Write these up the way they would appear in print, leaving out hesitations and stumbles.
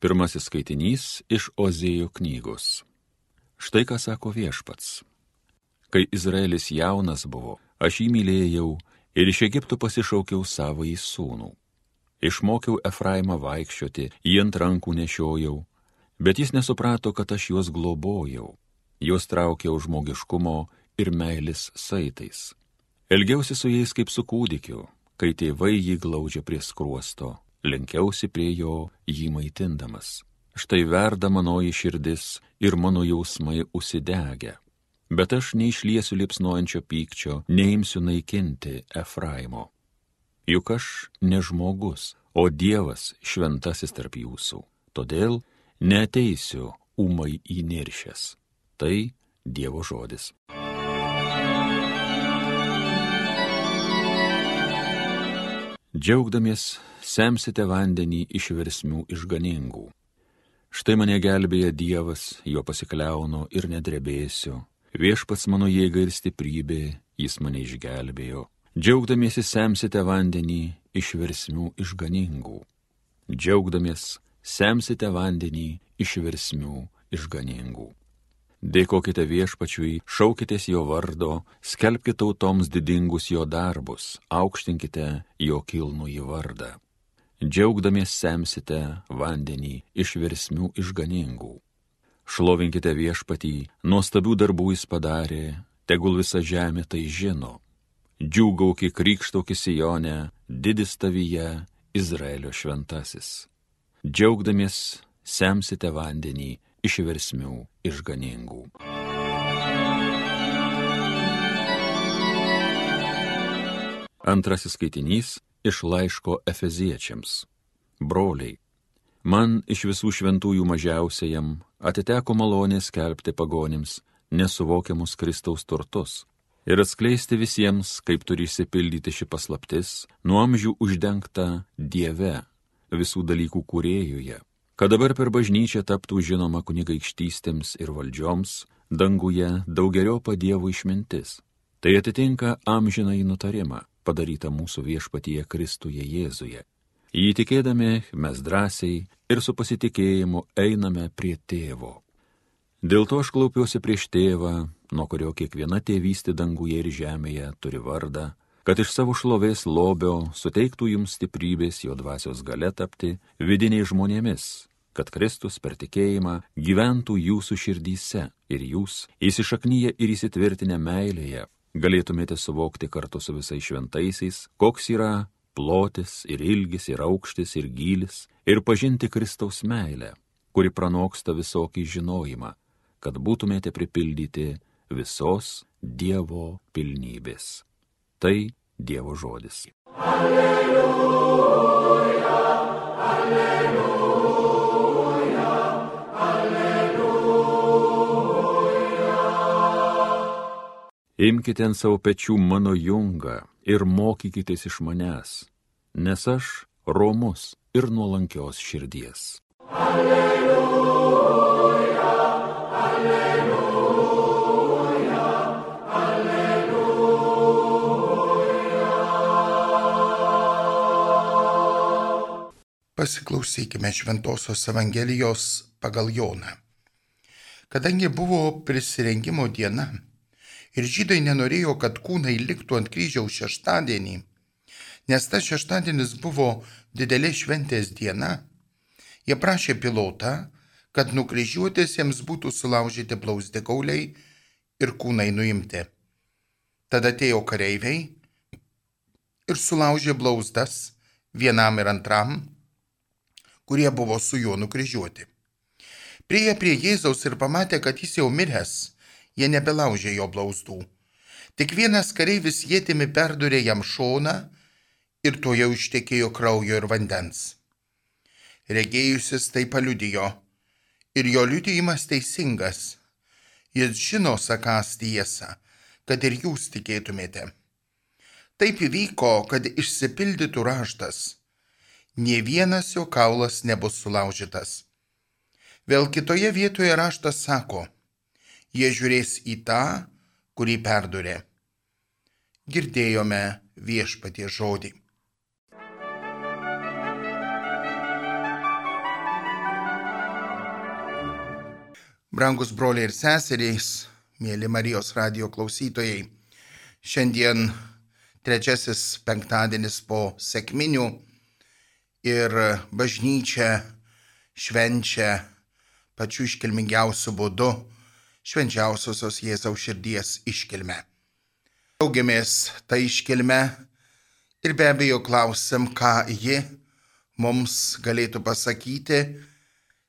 Pirmasis skaitinys iš Ozėjo knygos. Štai ką sako Viešpats. Kai Izraelis jaunas buvo, aš jį mylėjau ir iš Egipto pasišaukiau savąjį sūnų. Išmokiau Efraimą vaikščioti, jį ant rankų nešiojau, bet jis nesuprato, kad aš juos globojau. Juos traukiau žmogiškumo ir meilės saitais. Elgiausi su jais kaip su kūdikiu, kai tėvai jį glaudžia prie skruosto. Lenkiausi prie jo, jį maitindamas. Štai verda manoji širdis ir mano jausmai užsidegę. Bet aš neišliesiu liepsnojančio pykčio, neimsiu naikinti Efraimo. Juk aš ne žmogus, o Dievas šventasis tarp jūsų. Todėl neateisiu ūmai įniršęs. Tai Dievo žodis. Džiaugdamies, semsite vandenį iš versmių išganingų. Štai mane gelbėja Dievas, jo pasikliaunu ir nedrebėsiu. Viešpats mano jėga ir stiprybė, jis mane išgelbėjo. Džiaugdamiesi, semsite vandenį iš versmių išganingų. Džiaugdamies, semsite vandenį iš versmių išganingų. Dėkokite Viešpačiui, šaukitės jo vardo, skelbkite tautoms didingus jo darbus, aukštinkite jo kilnųjį vardą. Džiaugdamies semsite vandenį iš versmių išganingų. Šlovinkite Viešpatį, nuostabių darbų jis padarė, tegul visa žemė tai žino. Džiūgauki, krykštauki Sijone, didis tavyje Izraelio šventasis. Džiaugdamies semsite vandenį iš versmių išganingų. Antrasis skaitinys iš laiško Efeziečiams. Broliai, man iš visų šventųjų mažiausiajam atiteko malonė skelbti pagonims nesuvokiamus Kristaus turtus ir atskleisti visiems, kaip turi išsipildyti ši paslaptis, nuo amžių uždengta Dieve, visų dalykų kūrėjuje, kad dabar per bažnyčią taptų žinoma kunigaikštystėms ir valdžioms, danguje daugeriopą Dievo išmintis. Tai atitinka amžinąjį nutarimą, padarytą mūsų Viešpatyje Kristuje Jėzuje. Jį tikėdami mes drąsiai ir su pasitikėjimu einame prie Tėvo. Dėl to aš klaupiuosi prieš Tėvą, nuo kurio kiekviena tėvystė danguje ir žemėje turi vardą, kad iš savo šlovės lobio suteiktų jums stiprybės jo dvasios galia tapti vidiniais žmonėmis, kad Kristus per tikėjimą gyventų jūsų širdyse ir jūs, įsišaknyję ir įsitvirtinę meilėje, galėtumėte suvokti kartu su visais šventaisiais, koks yra plotis ir ilgis ir aukštis ir gylis, ir pažinti Kristaus meilę, kuri pranoksta visokį žinojimą, kad būtumėte pripildyti visos Dievo pilnybės. Tai Dievo žodis. Alleluja, alleluja, alleluja. Imkite ant savo pečių mano jungą ir mokykitės iš manęs, nes aš romus ir nuolankios širdies. Alleluja, alleluja. Pasiklausykime Šventosios Evangelijos pagal Joną. Kadangi buvo prisirengimo diena ir žydai nenorėjo, kad kūnai liktų ant kryžiaus šeštadienį, nes tas šeštadienis buvo didelė šventės diena, jie prašė Pilotą, kad nukryžiuotėsiems būtų sulaužyti blauzdikauliai ir kūnai nuimti. Tada atėjo kareiviai ir sulaužė blauzdas vienam ir antram, kurie buvo su juo nukryžiuoti. Priėję prie Jėzaus ir pamatė, kad jis jau miręs, jie nebelaužė jo blauzdų. Tik vienas kareivis ietimi perdūrė jam šoną ir to jau ištekėjo kraujo ir vandens. Regėjusis tai paliudijo ir jo liudijimas teisingas. Jis žino sakąs tiesą, kad ir jūs tikėtumėte. Taip įvyko, kad išsipildytų raštas. Nė vienas jo kaulas nebus sulaužytas. Vėl kitoje vietoje raštas sako, jie žiūrės į tą, kurį perdūrė. Girdėjome Viešpaties žodį. Brangus broliai ir seserys, mėly Marijos radijo klausytojai, šiandien trečiasis penktadienis po sekminių ir bažnyčia švenčia pačiu iškilmingiausiu būdu švenčiausiosios Jėzaus širdies iškilmę. Džiaugiamės tą iškilmę ir be abejo klausim, ką ji mums galėtų pasakyti,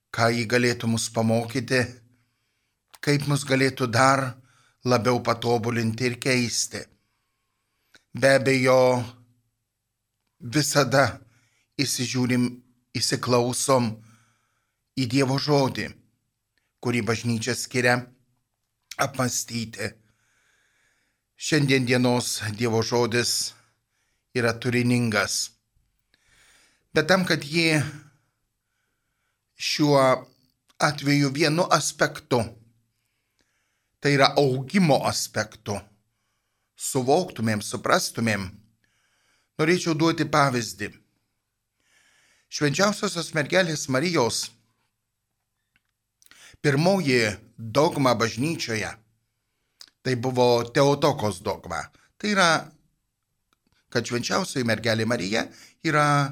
ką ji galėtų mus pamokyti, kaip mus galėtų dar labiau patobulinti ir keisti. Be abejo, visada įsižiūrim, įsiklausom į Dievo žodį, kurį bažnyčia skiria apmąstyti. Šiandien dienos Dievo žodis yra turiningas, bet tam, kad jį šiuo atveju vienu aspektu, tai yra augimo aspektu, suvoktumėm, suprastumėm, norėčiau duoti pavyzdį. Švenčiausiosios mergelės Marijos pirmoji dogma bažnyčioje, tai buvo Teotokos dogma. Tai yra, kad švenčiausioji mergelė Marija yra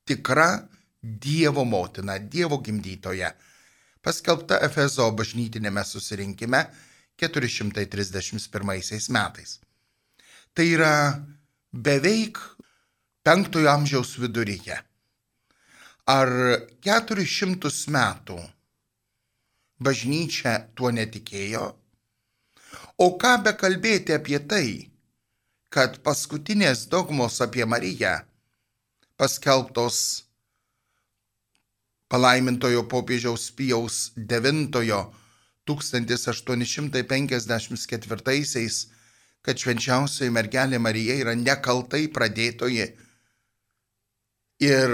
tikra Dievo motina, Dievo gimdytoja, paskelbta Efezo bažnytinėme susirinkime 431 metais. Tai yra beveik 5 amžiaus viduryje. Ar 400 metų bažnyčia tuo netikėjo? O ką bekalbėti apie tai, kad paskutinės dogmos apie Mariją, paskelbtos palaimintojo popiežiaus Pijaus IX 1854, kad švenčiausioji mergelė Marija yra nekaltai pradėtoji, ir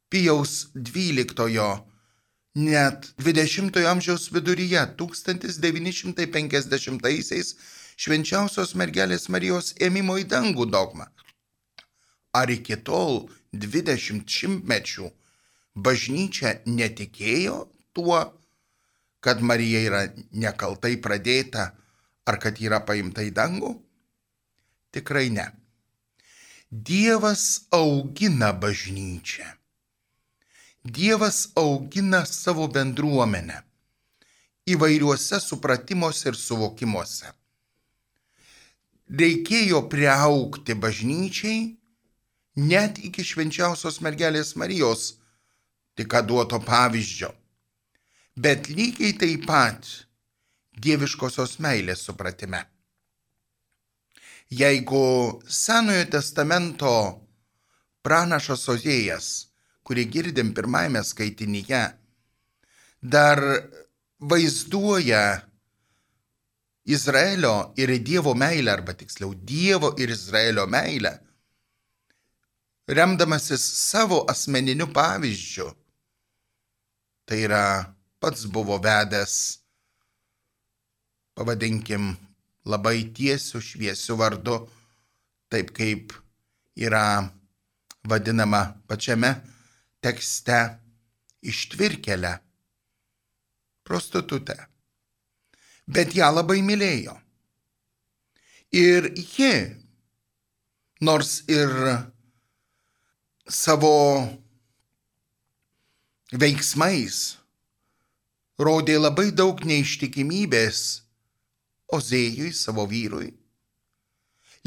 Pijaus XII net 20 amžiaus viduryje 1950 švenčiausios mergelės Marijos ėmimo į dangų dogma. Ar iki tol 20 šimtmečių bažnyčia netikėjo tuo, kad Marija yra nekaltai pradėta, ar kad yra paimta į dangų? Tikrai ne. Dievas augina bažnyčią. Dievas augina savo bendruomenę įvairiuose supratimuose ir suvokimuose. Reikėjo priaugti bažnyčiai net iki švenčiausios mergelės Marijos, tik duoto pavyzdžio. Bet lygiai taip pat dieviškosios meilės supratime. Jeigu Senojo testamento pranašas Ozėjas, kurį girdim pirmajame skaitinyje, dar vaizduoja Izraelio ir Dievo meilę, arba tiksliau Dievo ir Izraelio meilę, remdamasis savo asmeniniu pavyzdžiu, tai yra pats buvo vedęs, pavadinkim, labai tiesiu, šviesiu vardu, taip kaip yra vadinama pačiame tekste ištvirkėlę, prostitutę. Bet ją labai mylėjo. Ir ji, nors ir savo veiksmais rodė labai daug neištikimybės Ozėjui, savo vyrui,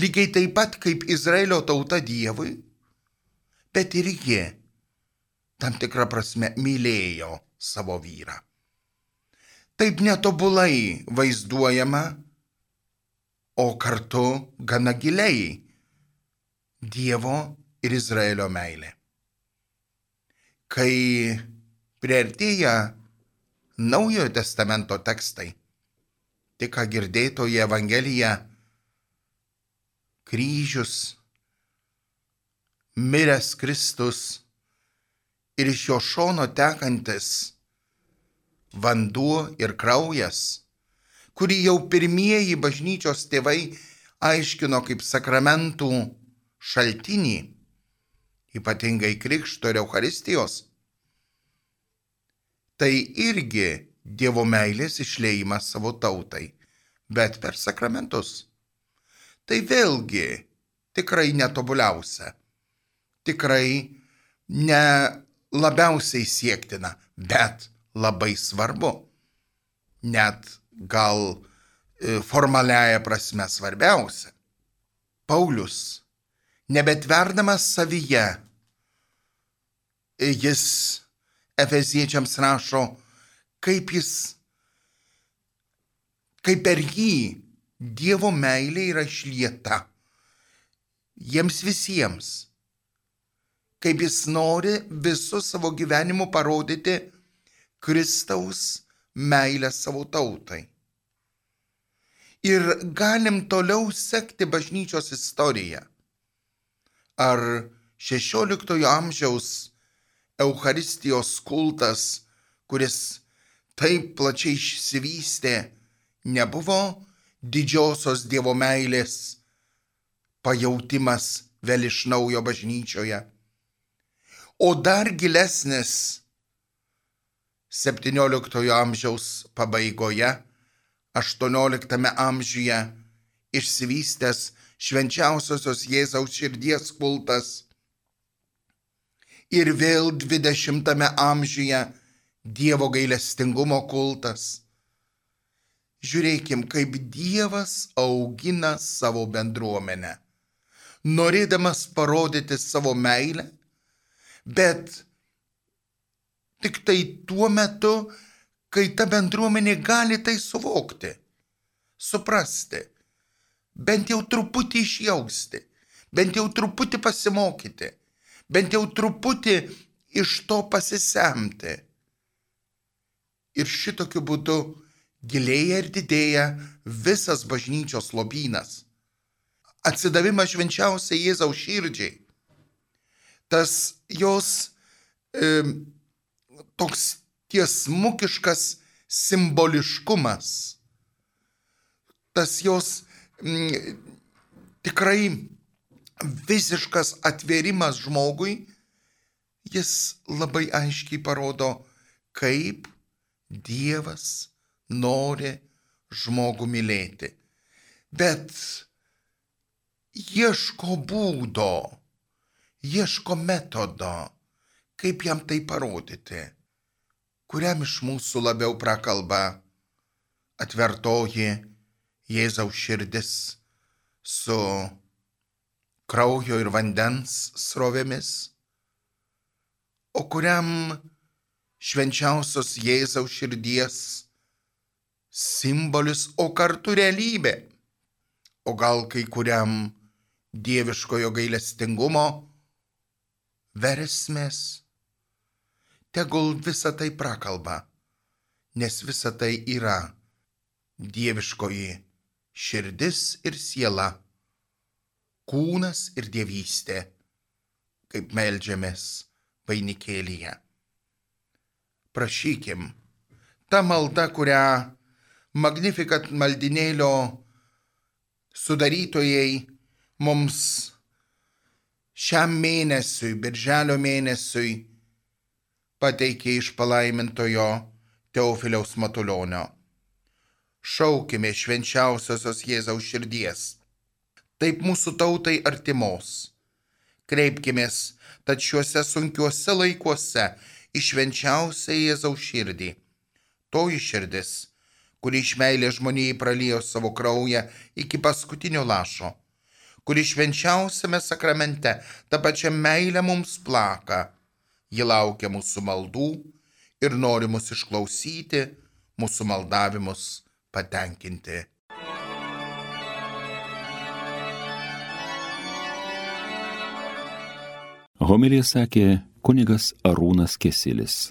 lygiai taip pat kaip Izraelio tauta Dievui, bet ir ji tam tikrą prasme mylėjo savo vyrą. Taip netobulai vaizduojama, o kartu gana giliai Dievo ir Izraelio meilė. Kai priartėja Naujojo testamento tekstai, tik ką girdėtoji Evangelija, kryžius, miręs Kristus ir iš jo šono tekantis vanduo ir kraujas, kurį jau pirmieji bažnyčios tėvai aiškino kaip sakramentų šaltinį, ypatingai krikšto ir Eucharistijos, tai irgi Dievo meilės išliejimas savo tautai, bet per sakramentus. Tai vėlgi tikrai netobuliausia, tikrai ne labiausiai siektina, bet labai svarbu, net gal formaliaja prasme svarbiausia. Paulius, nebetverdamas savyje, jis Efeziečiams rašo, kaip per jį Dievo meilė yra išlieta jiems visiems, kaip jis nori visų savo gyvenimu parodyti Kristaus meilę savo tautai. Ir galim toliau sekti bažnyčios istoriją. Ar 16 amžiaus Eucharistijos kultas, kuris taip plačiai išsivystė, nebuvo didžiosios Dievo meilės pajautimas vėl iš naujo bažnyčioje. O dar gilesnis 17 amžiaus pabaigoje, 18 amžiuje išsivystęs švenčiausiosios Jėzaus širdies kultas ir vėl 20 amžiuje Dievo gailestingumo kultas. Žiūrėkim, kaip Dievas augina savo bendruomenę, norėdamas parodyti savo meilę, bet tik tai tuo metu, kai ta bendruomenė gali tai suvokti, suprasti, bent jau truputį išjausti, bent jau truputį pasimokyti, bent jau truputį iš to pasisemti. Ir šitokiu būdu gilėja ir didėja visas bažnyčios lobynas. Atsidavimas švenčiausiai Jėzaus širdžiai. Tas jos toks tiesmukiškas simboliškumas. Tas jos tikrai visiškas atvėrimas žmogui, jis labai aiškiai parodo, kaip Dievas nori žmogų mylėti, bet ieško būdo, ieško metodo, kaip jam tai parodyti, kuriam iš mūsų labiau prakalba atvertoji Jėzaus širdis su kraujo ir vandens srovėmis, o kuriam švenčiausios Jėzaus širdies simbolis, o kartu realybė, o gal kai kuriam dieviškojo gailestingumo versmės. Tegul visa tai prakalba, nes visa tai yra dieviškoji širdis ir siela, kūnas ir dievystė, kaip meldžiamės vainikėlyje. Prašykim, ta malda, kurią Magnificat maldinėlio sudarytojai mums šiam mėnesiui, birželio mėnesiui, pateikė iš palaimintojo Teofiliaus Matulionio. Šaukime švenčiausiosios Jėzaus širdies, taip mūsų tautai artimos. Kreipkimės tad šiuose sunkiuose laikuose į švenčiausią Jėzaus širdį. Toji širdis, kuri iš meilės žmonijai praliejo savo kraują iki paskutinio lašo, kuri švenčiausiame sakramente tą pačią meilę mums plaka. Ji laukia mūsų maldų ir nori mus išklausyti, mūsų maldavimus patenkinti. Homiliją sakė kunigas Arūnas Kesilis.